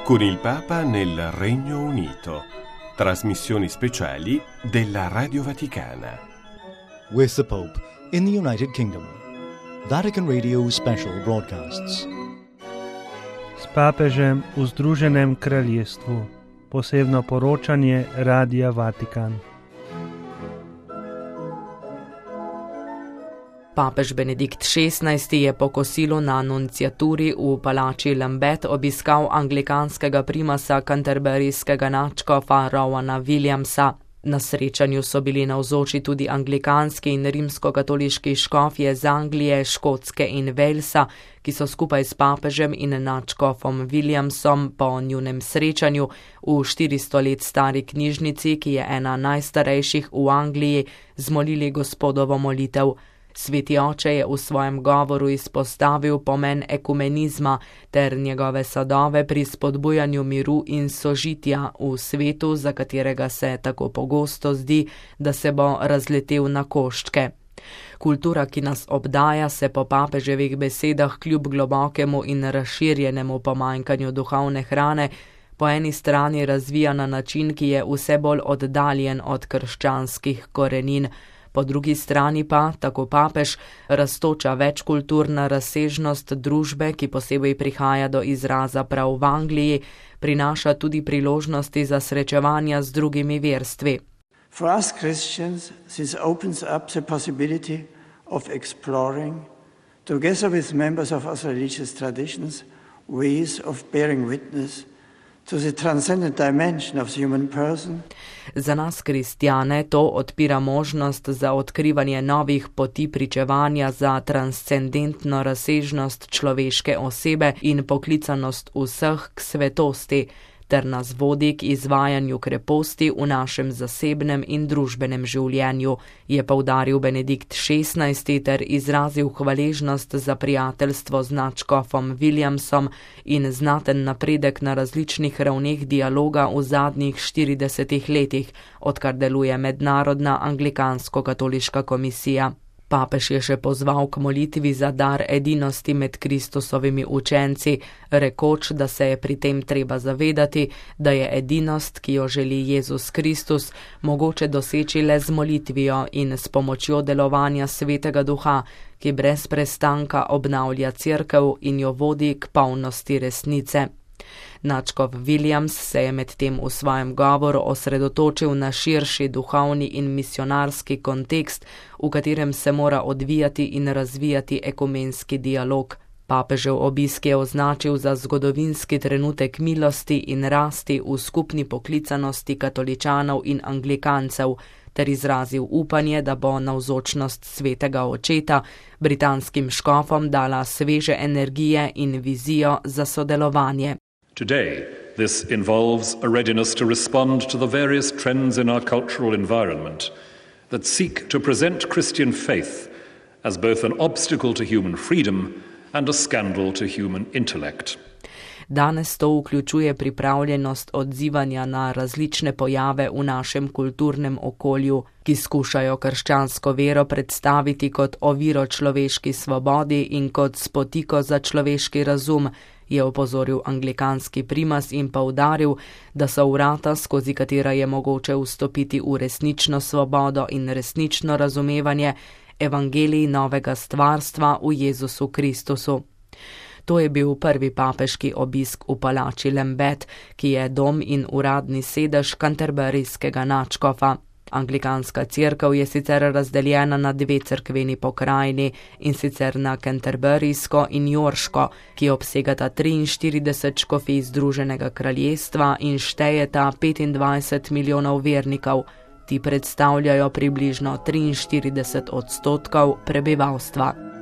Con il Papa nel Regno Unito. Trasmissioni speciali della Radio Vaticana. With the Pope in the United Kingdom. Vatican Radio special broadcasts. S papežem v Združenem kraljestvu. Posebno poročanje Radia Vatikan. Papež Benedikt XVI je po kosilu na nunciaturi v palači Lambeth obiskal anglikanskega primasa canterburyskega nadškofa Rowana Williamsa. Na srečanju so bili navzoči tudi anglikanski in rimskokatoliški škofje iz Anglije, Škotske in Walesa, ki so skupaj s papežem in nadškofom Williamsom po njunem srečanju v 400 let stari knjižnici, ki je ena najstarejših v Angliji, zmolili Gospodovo molitev. Sveti oče je v svojem govoru izpostavil pomen ekumenizma ter njegove sadove pri spodbujanju miru in sožitja v svetu, za katerega se tako pogosto zdi, da se bo razletel na koščke. Kultura, ki nas obdaja, se po papeževih besedah kljub globokemu in razširjenemu pomanjkanju duhovne hrane po eni strani razvija na način, ki je vse bolj oddaljen od krščanskih korenin. Po drugi strani pa, tako papež, rastoča večkulturna razsežnost družbe, ki posebej prihaja do izraza prav v Angliji, prinaša tudi priložnosti za srečevanja z drugimi verstvi. For us Christians, this opens up the possibility of exploring, together with members of our religious traditions, ways of bearing witness to the transcendent dimension of the human person. Za nas kristjane to odpira možnost za odkrivanje novih poti pričevanja za transcendentno razsežnost človeške osebe in poklicanost vseh k svetosti, ter nas vodi k izvajanju kreposti v našem zasebnem in družbenem življenju, je poudaril Benedikt XVI ter izrazil hvaležnost za prijateljstvo z nadškofom Williamsom in znaten napredek na različnih ravneh dialoga v zadnjih 40 letih, odkar deluje Mednarodna anglikansko-katoliška komisija. Papež je še pozval k molitvi za dar edinosti med Kristusovimi učenci, rekoč, da se je pri tem treba zavedati, da je edinost, ki jo želi Jezus Kristus, mogoče doseči le z molitvijo in s pomočjo delovanja Svetega Duha, ki brez prestanka obnavlja cerkev in jo vodi k polnosti resnice. Nadškof Williams se je medtem v svojem govoru osredotočil na širši duhovni in misionarski kontekst, v katerem se mora odvijati in razvijati ekumenski dialog. Papežev obisk je označil za zgodovinski trenutek milosti in rasti v skupni poklicanosti katoličanov in anglikancev, ter izrazil upanje, da bo navzočnost svetega očeta britanskim škofom dala sveže energije in vizijo za sodelovanje. Today, this involves a readiness to respond to the various trends in our cultural environment that seek to present Christian faith as both an obstacle to human freedom and a scandal to human intellect. Danes to vključuje pripravljenost odzivanja na različne pojave v našem kulturnem okolju, ki skušajo krščansko vero predstaviti kot oviro človeški svobodi in kot spotiko za človeški razum, je opozoril anglikanski primas in poudaril, da so vrata, skozi katera je mogoče vstopiti v resnično svobodo in resnično razumevanje evangelij novega stvarstva v Jezusu Kristusu. To je bil prvi papeški obisk v palači Lambeth, ki je dom in uradni sedež canterburyskega nadškofa. Anglikanska cerkev je sicer razdeljena na 2 cerkveni pokrajini, in sicer na canterburysko in yorško, ki obsegata 43 škofij Združenega kraljestva in štejeta 25 milijonov vernikov. Ti predstavljajo približno 43% prebivalstva.